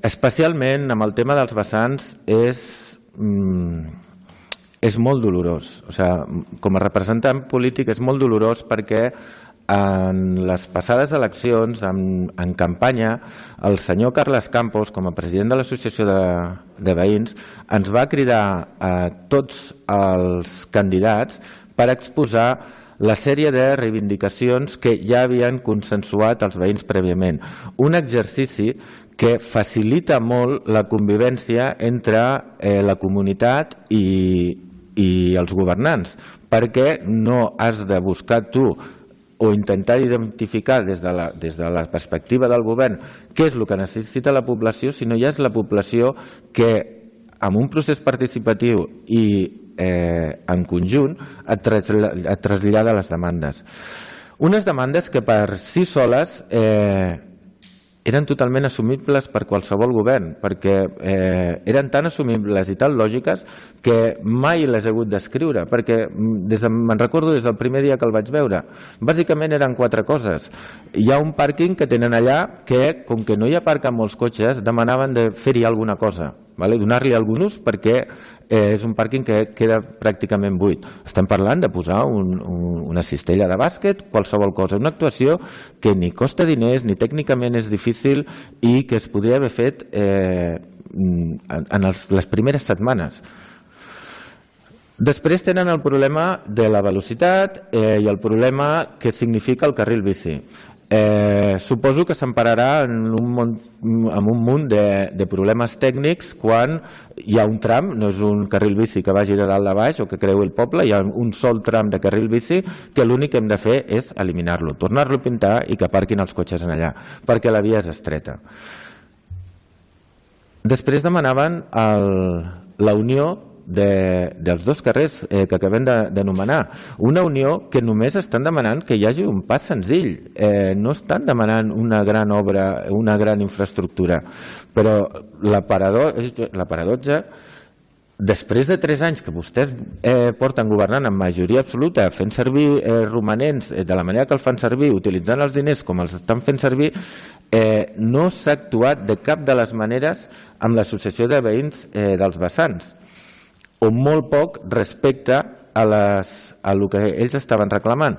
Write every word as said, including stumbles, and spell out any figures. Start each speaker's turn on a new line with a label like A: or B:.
A: Especialment amb el tema dels vessants és, mm, és molt dolorós. O sigui, com a representant polític és molt dolorós perquè en les passades eleccions, en, en campanya, el senyor Carles Campos, com a president de l'Associació de, de Veïns, ens va cridar a tots els candidats per exposar la sèrie de reivindicacions que ja havien consensuat els veïns prèviament. Un exercici que facilita molt la convivència entre eh, la comunitat i, i els governants, perquè no has de buscar tu o intentar identificar des de, la, des de la perspectiva del govern què és el que necessita la població, sinó ja és la població que amb un procés participatiu i eh, en conjunt et, traslla, et trasllada les demandes. Unes demandes que per si soles eh, eren totalment assumibles per qualsevol govern, perquè eh, eren tan assumibles i tan lògiques que mai les he hagut d'escriure, perquè des de, me'n recordo des del primer dia que el vaig veure. Bàsicament eren quatre coses. Hi ha un pàrquing que tenen allà que, com que no hi aparquen molts cotxes, demanaven de fer-hi alguna cosa, vale? Donar-li algun ús perquè eh, és un pàrquing que queda pràcticament buit. Estem parlant de posar un, un, una cistella de bàsquet, qualsevol cosa, una actuació que ni costa diners ni tècnicament és difícil i que es podria haver fet eh, en els, les primeres setmanes. Després tenen el problema de la velocitat eh, i el problema que significa el carril bici. Eh, suposo que s'empararà en un munt, amb un munt de, de problemes tècnics quan hi ha un tram, no és un carril bici que vagi de dalt a baix o que creui el poble, hi ha un sol tram de carril bici que l'únic que hem de fer és eliminar-lo, tornar-lo a pintar i que aparquin els cotxes en allà, perquè la via és estreta. Després demanaven el, la unió De, dels dos carrers eh, que acabem d'anomenar. Una unió que només estan demanant que hi hagi un pas senzill. Eh, no estan demanant una gran obra, una gran infraestructura. Però la paradoxa, després de tres anys que vostès eh, porten governant amb majoria absoluta, fent servir eh, romanents eh, de la manera que el fan servir, utilitzant els diners com els estan fent servir, eh, no s'ha actuat de cap de les maneres amb l'associació de veïns eh, dels vessants, o molt poc respecte a, les, a el que ells estaven reclamant.